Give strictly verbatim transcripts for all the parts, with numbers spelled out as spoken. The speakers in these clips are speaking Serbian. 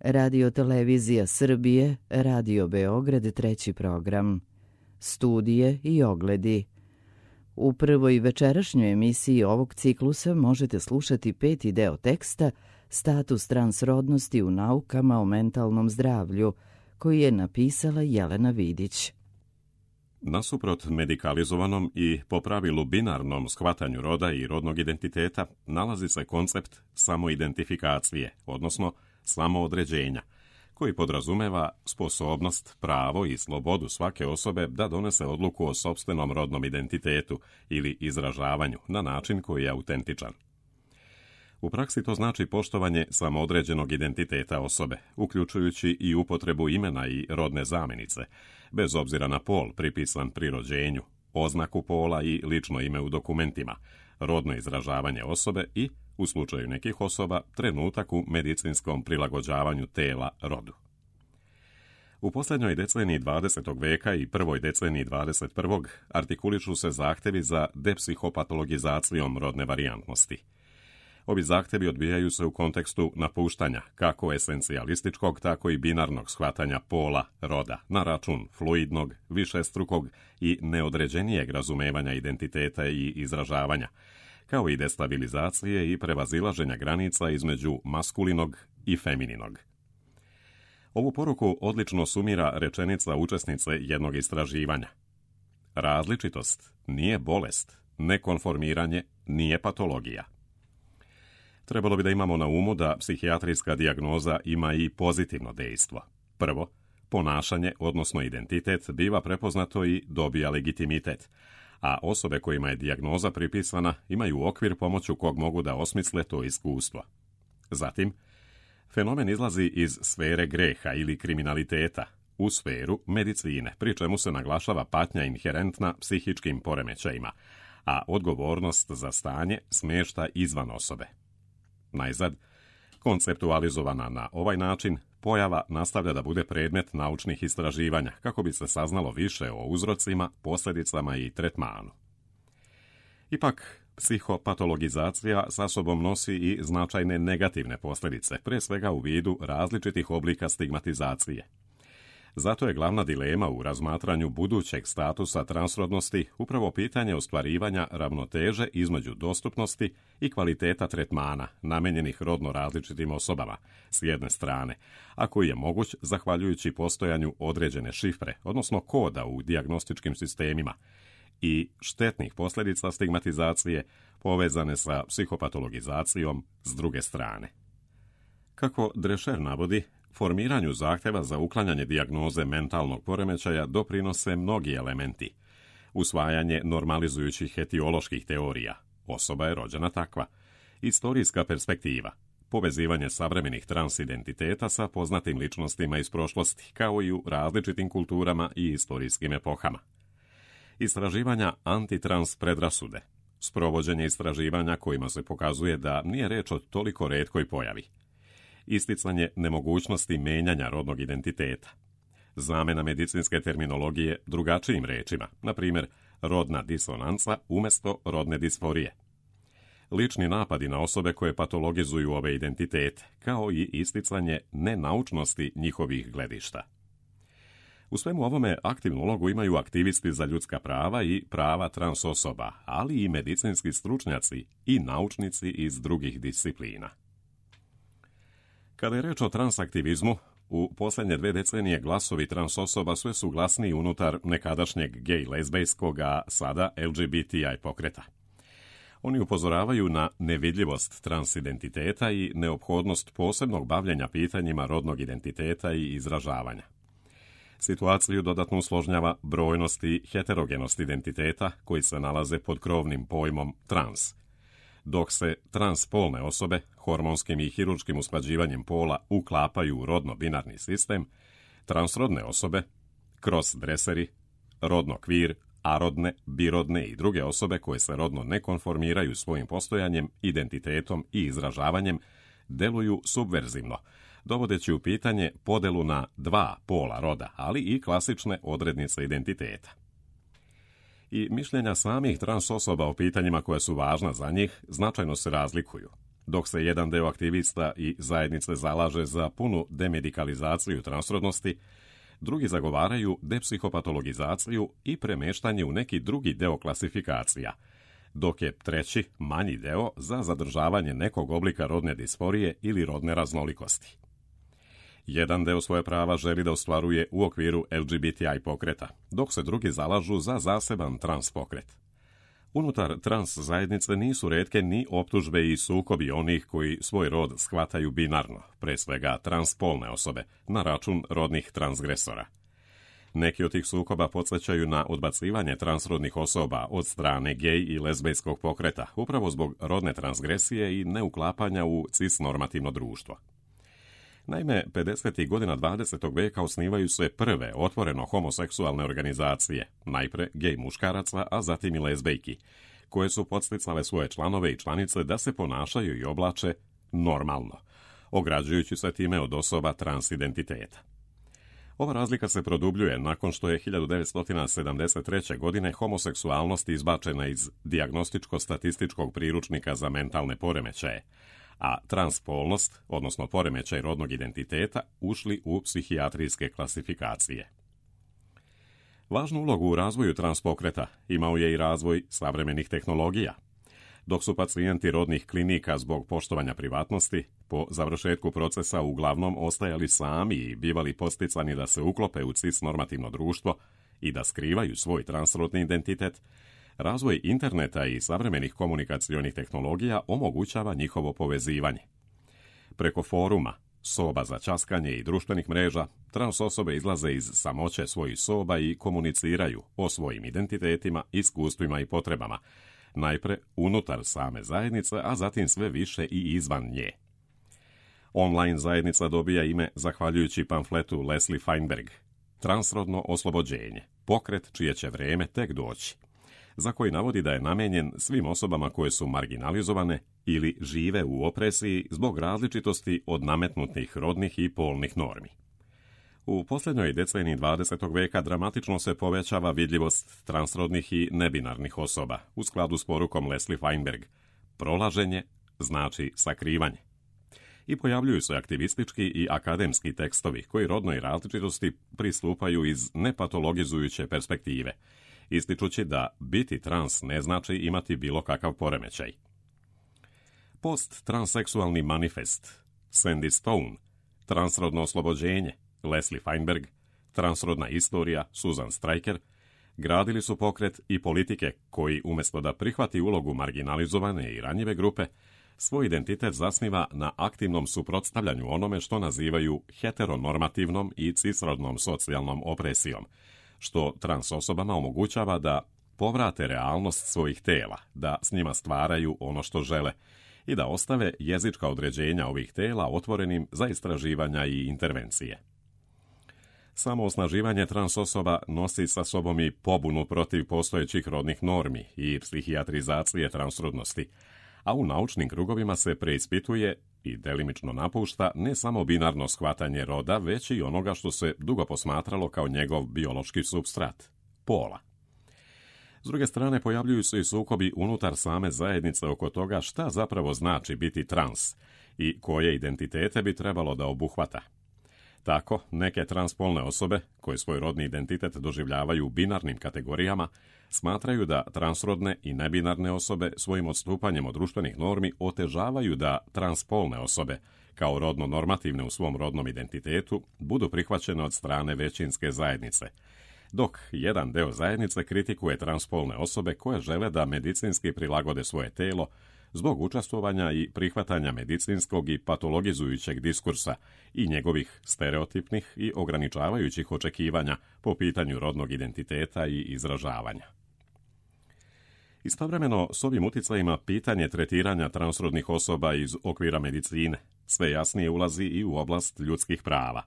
Radio Televizija Srbije, Radio Beograd, treći program. Studije i ogledi. U prvoj večerašnjoj emisiji ovog ciklusa možete slušati peti deo teksta Status transrodnosti u naukama o mentalnom zdravlju, koji je napisala Jelena Vidić. Nasuprot medikalizovanom i po pravilu binarnom shvatanju roda i rodnog identiteta nalazi se koncept samoidentifikacije, odnosno samoodređenja, koji podrazumeva sposobnost, pravo i slobodu svake osobe da donese odluku o sopstvenom rodnom identitetu ili izražavanju na način koji je autentičan. U praksi to znači poštovanje samoodređenog identiteta osobe, uključujući i upotrebu imena i rodne zamjenice, bez obzira na pol pripisan pri rođenju, oznaku pola i lično ime u dokumentima, rodno izražavanje osobe i, u slučaju nekih osoba, trenutak u medicinskom prilagođavanju tela rodu. U posljednjoj deceniji dvadesetog veka i prvoj deceniji dvadeset prvog artikulišu se zahtjevi za depsihopatologizacijom rodne varijantnosti. Ovi zahtjevi odbijaju se u kontekstu napuštanja kako esencijalističkog, tako i binarnog shvatanja pola, roda, na račun fluidnog, višestrukog i neodređenijeg razumevanja identiteta i izražavanja, kao i destabilizacije i prevazilaženja granica između maskulinog i femininog. Ovu poruku odlično sumira rečenica učesnice jednog istraživanja. Različitost nije bolest, nekonformiranje nije patologija. Trebalo bi da imamo na umu da psihijatrijska dijagnoza ima i pozitivno dejstvo. Prvo, ponašanje, odnosno identitet, biva prepoznato i dobija legitimitet, a osobe kojima je dijagnoza pripisana imaju okvir pomoću kog mogu da osmisle to iskustvo. Zatim, fenomen izlazi iz sfere greha ili kriminaliteta u sferu medicine, pri čemu se naglašava patnja inherentna psihičkim poremećajima, a odgovornost za stanje smješta izvan osobe. Najzad, konceptualizovana na ovaj način, pojava nastavlja da bude predmet naučnih istraživanja kako bi se saznalo više o uzrocima, posljedicama i tretmanu. Ipak, psihopatologizacija sa sobom nosi i značajne negativne posljedice, pre svega u vidu različitih oblika stigmatizacije. Zato je glavna dilema u razmatranju budućeg statusa transrodnosti upravo pitanje ostvarivanja ravnoteže između dostupnosti i kvaliteta tretmana namenjenih rodno različitim osobama s jedne strane, a koji je moguć zahvaljujući postojanju određene šifre, odnosno koda u dijagnostičkim sistemima, i štetnih posljedica stigmatizacije povezane sa psihopatologizacijom s druge strane. Kako Drescher navodi, formiranju zahtjeva za uklanjanje dijagnoze mentalnog poremećaja doprinose mnogi elementi. Usvajanje normalizujućih etioloških teorija, osoba je rođena takva, istorijska perspektiva, povezivanje savremenih transidentiteta sa poznatim ličnostima iz prošlosti, kao i u različitim kulturama i istorijskim epohama. Istraživanja antitrans predrasude, sprovođenje istraživanja kojima se pokazuje da nije reč o toliko retkoj pojavi. Isticanje nemogućnosti menjanja rodnog identiteta, zamjena medicinske terminologije drugačijim rečima, na primjer rodna disonanca umjesto rodne disforije, lični napadi na osobe koje patologizuju ove identitete, kao i isticanje nenaučnosti njihovih gledišta. U svemu ovome aktivnu ulogu imaju aktivisti za ljudska prava i prava trans osoba, ali i medicinski stručnjaci i naučnici iz drugih disciplina. Kada je reč o transaktivizmu, u posljednje dve decenije glasovi trans osoba sve su glasniji unutar nekadašnjeg gej-lezbejskog, a sada L G B T I pokreta. Oni upozoravaju na nevidljivost transidentiteta i neophodnost posebnog bavljenja pitanjima rodnog identiteta i izražavanja. Situaciju dodatno usložnjava brojnost i heterogenost identiteta koji se nalaze pod krovnim pojmom trans. Dok se transpolne osobe hormonskim i hirurškim usklađivanjem pola uklapaju u rodno-binarni sistem, transrodne osobe, cross-dresseri, rodno-kvir, arodne, birodne i druge osobe koje se rodno ne konformiraju svojim postojanjem, identitetom i izražavanjem, deluju subverzivno, dovodeći u pitanje podelu na dva pola roda, ali i klasične odrednice identiteta. I mišljenja samih trans osoba o pitanjima koja su važna za njih značajno se razlikuju. Dok se jedan deo aktivista i zajednice zalaže za punu demedikalizaciju transrodnosti, drugi zagovaraju depsihopatologizaciju i premeštanje u neki drugi deo klasifikacija, dok je treći, manji deo, za zadržavanje nekog oblika rodne disforije ili rodne raznolikosti. Jedan deo svoje prava želi da ostvaruje u okviru L G B T I pokreta, dok se drugi zalažu za zaseban trans pokret. Unutar trans zajednice nisu retke ni optužbe i sukobi onih koji svoj rod shvataju binarno, pre svega transpolne osobe, na račun rodnih transgresora. Neki od tih sukoba podsjećaju na odbacivanje transrodnih osoba od strane gej i lezbejskog pokreta, upravo zbog rodne transgresije i neuklapanja u cisnormativno društvo. Naime, pedesetih godina dvadesetog veka osnivaju se prve otvoreno homoseksualne organizacije, najpre gej muškaraca, a zatim i lezbejki, koje su podsticale svoje članove i članice da se ponašaju i oblače normalno, ograđujući se time od osoba transidentiteta. Ova razlika se produbljuje nakon što je hiljadu devetsto sedamdeset treće. godine homoseksualnost izbačena iz dijagnostičko-statističkog priručnika za mentalne poremećaje, a transpolnost, odnosno poremećaj rodnog identiteta, ušli u psihijatrijske klasifikacije. Važnu ulogu u razvoju transpokreta imao je i razvoj savremenih tehnologija. Dok su pacijenti rodnih klinika zbog poštovanja privatnosti po završetku procesa uglavnom ostajali sami i bivali posticani da se uklope u cisnormativno društvo i da skrivaju svoj transrodni identitet, razvoj interneta i savremenih komunikacionih tehnologija omogućava njihovo povezivanje. Preko foruma, soba za ćaskanje i društvenih mreža, trans osobe izlaze iz samoće svojih soba i komuniciraju o svojim identitetima, iskustvima i potrebama, najpre unutar same zajednice, a zatim sve više i izvan nje. Online zajednica dobija ime zahvaljujući pamfletu Leslie Feinberg Transrodno oslobođenje, pokret čije će vreme tek doći, za koji navodi da je namenjen svim osobama koje su marginalizovane ili žive u opresiji zbog različitosti od nametnutih rodnih i polnih normi. U posljednjoj deceniji dvadesetog veka dramatično se povećava vidljivost transrodnih i nebinarnih osoba, u skladu s porukom Leslie Feinberg. Prolaženje znači sakrivanje. I pojavljuju se aktivistički i akademski tekstovi koji rodnoj različitosti pristupaju iz nepatologizujuće perspektive, ističući da biti trans ne znači imati bilo kakav poremećaj. Post-transseksualni manifest, Sandy Stone, transrodno oslobođenje, Leslie Feinberg, transrodna istorija, Susan Stryker, gradili su pokret i politike koji, umjesto da prihvati ulogu marginalizovane i ranjive grupe, svoj identitet zasniva na aktivnom suprotstavljanju onome što nazivaju heteronormativnom i cisrodnom socijalnom opresijom, što trans osobama omogućava da povrate realnost svojih tela, da s njima stvaraju ono što žele i da ostave jezička određenja ovih tela otvorenim za istraživanja i intervencije. Samo osnaživanje trans osoba nosi sa sobom i pobunu protiv postojećih rodnih normi i psihijatrizacije transrodnosti, a u naučnim krugovima se preispituje i delimično napušta ne samo binarno shvatanje roda, već i onoga što se dugo posmatralo kao njegov biološki supstrat, pola. S druge strane, pojavljuju se i sukobi unutar same zajednice oko toga šta zapravo znači biti trans i koje identitete bi trebalo da obuhvata. Tako, neke transpolne osobe, koje svoj rodni identitet doživljavaju u binarnim kategorijama, smatraju da transrodne i nebinarne osobe svojim odstupanjem od društvenih normi otežavaju da transpolne osobe, kao rodno normativne u svom rodnom identitetu, budu prihvaćene od strane većinske zajednice, dok jedan deo zajednice kritikuje transpolne osobe koje žele da medicinski prilagode svoje telo zbog učestvovanja i prihvatanja medicinskog i patologizujućeg diskursa i njegovih stereotipnih i ograničavajućih očekivanja po pitanju rodnog identiteta i izražavanja. Istovremeno, s ovim uticajima pitanje tretiranja transrodnih osoba iz okvira medicine sve jasnije ulazi i u oblast ljudskih prava,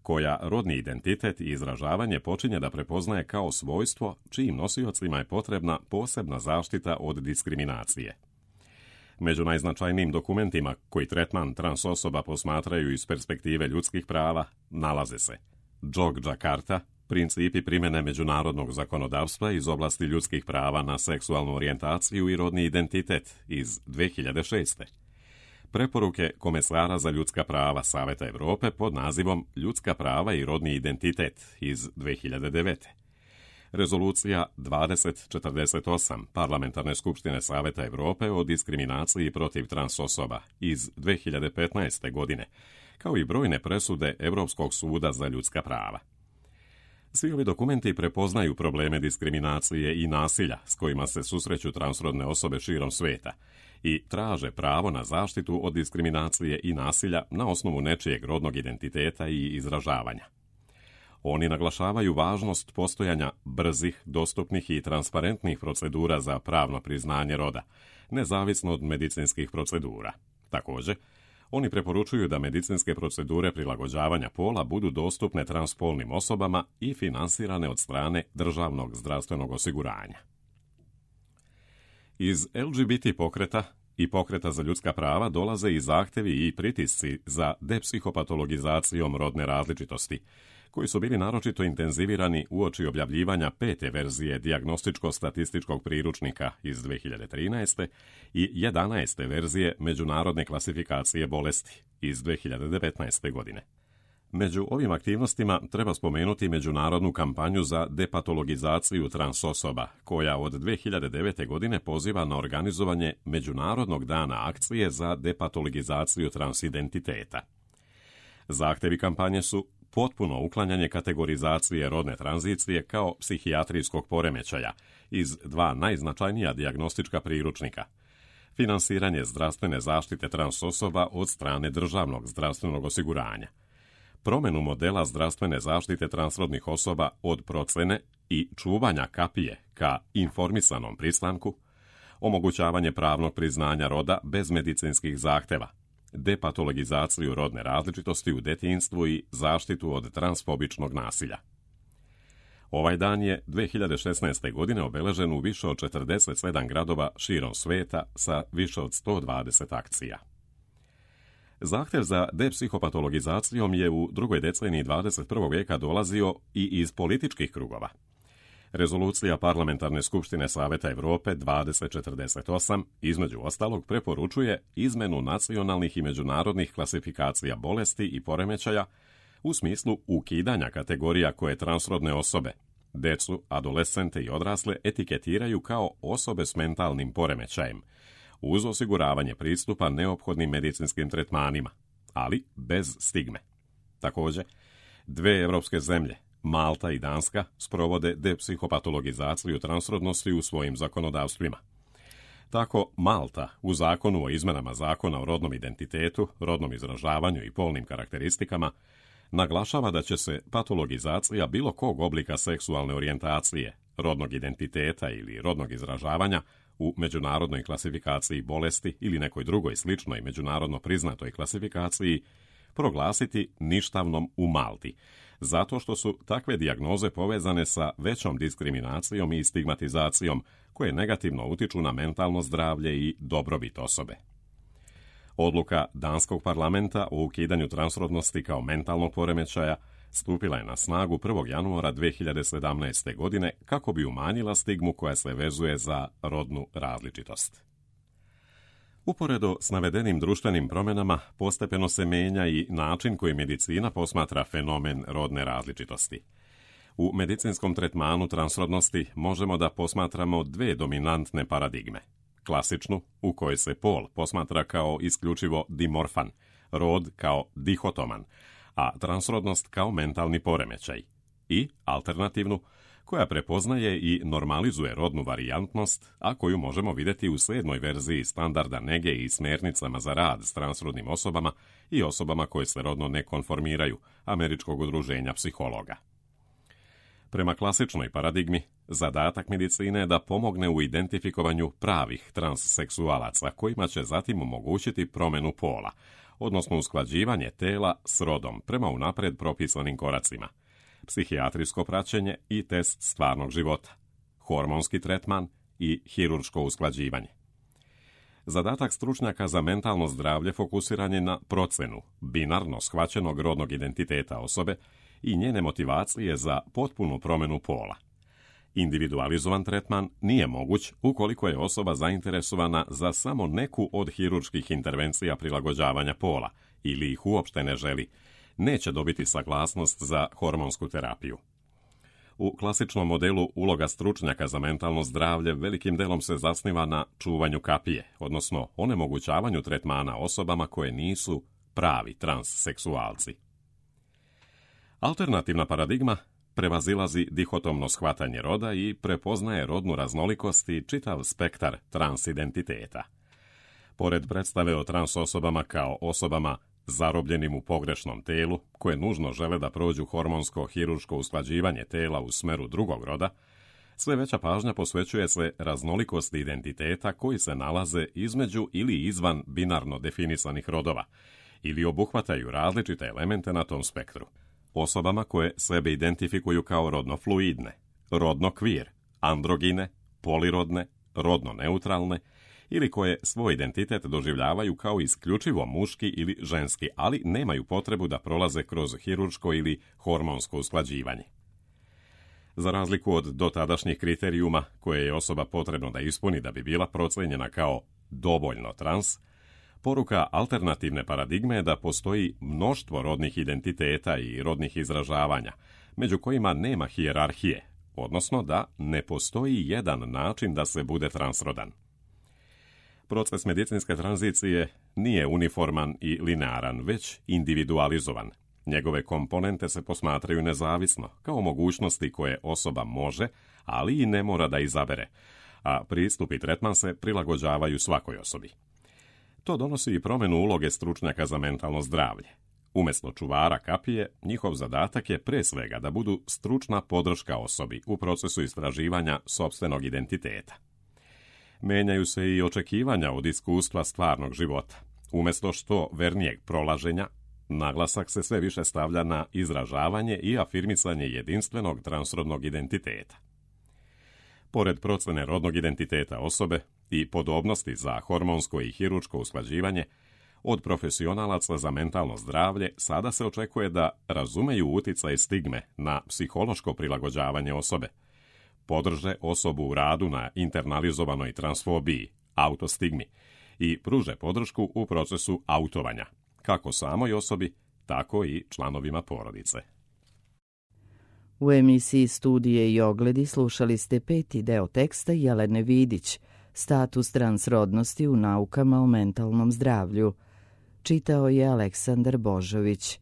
koja rodni identitet i izražavanje počinje da prepoznaje kao svojstvo čijim nosiocima je potrebna posebna zaštita od diskriminacije. Među najznačajnijim dokumentima koji tretman trans osoba posmatraju iz perspektive ljudskih prava nalaze se Jogjakarta, principi primjene međunarodnog zakonodavstva iz oblasti ljudskih prava na seksualnu orijentaciju i rodni identitet iz dve hiljade šeste. preporuke Komesara za ljudska prava Saveta Europe pod nazivom Ljudska prava i rodni identitet iz dve hiljade devete. Rezolucija dvadeset četrdeset osam Parlamentarne skupštine Saveta Europe o diskriminaciji protiv trans osoba iz dve hiljade petnaeste. godine, kao i brojne presude Europskog suda za ljudska prava. Svi ovi dokumenti prepoznaju probleme diskriminacije i nasilja s kojima se susreću transrodne osobe širom sveta i traže pravo na zaštitu od diskriminacije i nasilja na osnovu nečijeg rodnog identiteta i izražavanja. Oni naglašavaju važnost postojanja brzih, dostupnih i transparentnih procedura za pravno priznanje roda, nezavisno od medicinskih procedura. Također, oni preporučuju da medicinske procedure prilagođavanja pola budu dostupne transspolnim osobama i finansirane od strane državnog zdravstvenog osiguranja. Iz L G B T pokreta i pokreta za ljudska prava dolaze i zahtevi i pritisci za depsihopatologizacijom rodne različitosti, koji su bili naročito intenzivirani uoči objavljivanja pete verzije dijagnostičko-statističkog priručnika iz dve hiljade trinaeste. i jedanaeste verzije međunarodne klasifikacije bolesti iz dve hiljade devetnaeste. godine. Među ovim aktivnostima treba spomenuti međunarodnu kampanju za depatologizaciju trans osoba, koja od dve hiljade devete. godine poziva na organizovanje Međunarodnog dana akcije za depatologizaciju transidentiteta. Zahtevi kampanje su potpuno uklanjanje kategorizacije rodne tranzicije kao psihijatrijskog poremećaja iz dva najznačajnija dijagnostička priručnika, finansiranje zdravstvene zaštite trans osoba od strane državnog zdravstvenog osiguranja, promjenu modela zdravstvene zaštite transrodnih osoba od procene i čuvanja kapije ka informisanom pristanku, omogućavanje pravnog priznanja roda bez medicinskih zahteva, depatologizaciju rodne različitosti u detinjstvu i zaštitu od transfobičnog nasilja. Ovaj dan je dve hiljade šesnaeste. godine obeležen u više od četrdeset sedam gradova širom sveta sa više od sto dvadeset akcija. Zahtjev za depsihopatologizacijom je u drugoj deceniji dvadeset prvog. vijeka dolazio i iz političkih krugova. Rezolucija Parlamentarne skupštine Saveta Europe dvadeset četrdeset osam između ostalog preporučuje izmenu nacionalnih i međunarodnih klasifikacija bolesti i poremećaja u smislu ukidanja kategorija koje transrodne osobe, decu, adolescente i odrasle etiketiraju kao osobe s mentalnim poremećajem, uz osiguravanje pristupa neophodnim medicinskim tretmanima, ali bez stigme. Također, dve evropske zemlje, Malta i Danska, sprovode depsihopatologizaciju transrodnosti u svojim zakonodavstvima. Tako, Malta u zakonu o izmenama zakona o rodnom identitetu, rodnom izražavanju i polnim karakteristikama naglašava da će se patologizacija bilo kog oblika seksualne orijentacije, rodnog identiteta ili rodnog izražavanja u međunarodnoj klasifikaciji bolesti ili nekoj drugoj sličnoj međunarodno priznatoj klasifikaciji proglasiti ništavnom u Malti, zato što su takve dijagnoze povezane sa većom diskriminacijom i stigmatizacijom koje negativno utiču na mentalno zdravlje i dobrobit osobe. Odluka danskog parlamenta o ukidanju transrodnosti kao mentalnog poremećaja stupila je na snagu prvog januara dve hiljade sedamnaeste. godine kako bi umanjila stigmu koja se vezuje za rodnu različitost. Uporedo s navedenim društvenim promjenama postepeno se menja i način koji medicina posmatra fenomen rodne različitosti. U medicinskom tretmanu transrodnosti možemo da posmatramo dve dominantne paradigme. Klasičnu, u kojoj se pol posmatra kao isključivo dimorfan, rod kao dihotoman, a transrodnost kao mentalni poremećaj. I alternativnu, koja prepoznaje i normalizuje rodnu varijantnost, a koju možemo vidjeti u sedmoj verziji standarda nege i smjernicama za rad s transrodnim osobama i osobama koje se rodno ne konformiraju, Američkog udruženja psihologa. Prema klasičnoj paradigmi, zadatak medicine je da pomogne u identifikovanju pravih transseksualaca kojima će zatim omogućiti promjenu pola, odnosno usklađivanje tela s rodom prema unapred propisanim koracima, psihijatrijsko praćenje i test stvarnog života, hormonski tretman i hirurško usklađivanje. Zadatak stručnjaka za mentalno zdravlje fokusiran je na procenu binarno shvaćenog rodnog identiteta osobe i njene motivacije za potpunu promjenu pola. Individualizovan tretman nije moguć ukoliko je osoba zainteresovana za samo neku od hirurških intervencija prilagođavanja pola ili ih uopšte ne želi, neće dobiti saglasnost za hormonsku terapiju. U klasičnom modelu uloga stručnjaka za mentalno zdravlje velikim delom se zasniva na čuvanju kapije, odnosno onemogućavanju tretmana osobama koje nisu pravi transseksualci. Alternativna paradigma prevazilazi dihotomno shvatanje roda i prepoznaje rodnu raznolikost i čitav spektar transidentiteta. Pored predstave o trans osobama kao osobama zarobljenim u pogrešnom telu, koje nužno žele da prođu hormonsko-hirurško usklađivanje tela u smeru drugog roda, sve veća pažnja posvećuje se raznolikosti identiteta koji se nalaze između ili izvan binarno definisanih rodova ili obuhvataju različite elemente na tom spektru. Osobama koje sebe identifikuju kao rodno fluidne, rodno kvir, androgine, polirodne, rodno neutralne ili koje svoj identitet doživljavaju kao isključivo muški ili ženski, ali nemaju potrebu da prolaze kroz hirurško ili hormonsko usklađivanje. Za razliku od dotadašnjih kriterijuma koje je osoba potrebno da ispuni da bi bila procenjena kao dovoljno trans, poruka alternativne paradigme je da postoji mnoštvo rodnih identiteta i rodnih izražavanja, među kojima nema hijerarhije, odnosno da ne postoji jedan način da se bude transrodan. Proces medicinske tranzicije nije uniforman i linearan, već individualizovan. Njegove komponente se posmatraju nezavisno, kao mogućnosti koje osoba može, ali i ne mora da izabere, a pristup i tretman se prilagođavaju svakoj osobi. To donosi i promjenu uloge stručnjaka za mentalno zdravlje. Umjesto čuvara kapije, njihov zadatak je pre svega da budu stručna podrška osobi u procesu istraživanja sopstvenog identiteta. Menjaju se i očekivanja od iskustva stvarnog života. Umjesto što vernijeg prolaženja, naglasak se sve više stavlja na izražavanje i afirmisanje jedinstvenog transrodnog identiteta. Pored procene rodnog identiteta osobe i podobnosti za hormonsko i hirurško usklađivanje, od profesionalaca za mentalno zdravlje sada se očekuje da razumeju uticaj stigme na psihološko prilagođavanje osobe, podrže osobu u radu na internalizovanoj transfobiji, autostigmi i pruže podršku u procesu autovanja, kako samoj osobi, tako i članovima porodice. U emisiji Studije i ogledi slušali ste peti deo teksta Jelene Vidić, Status transrodnosti u naukama o mentalnom zdravlju. Čitao je Aleksandar Božović.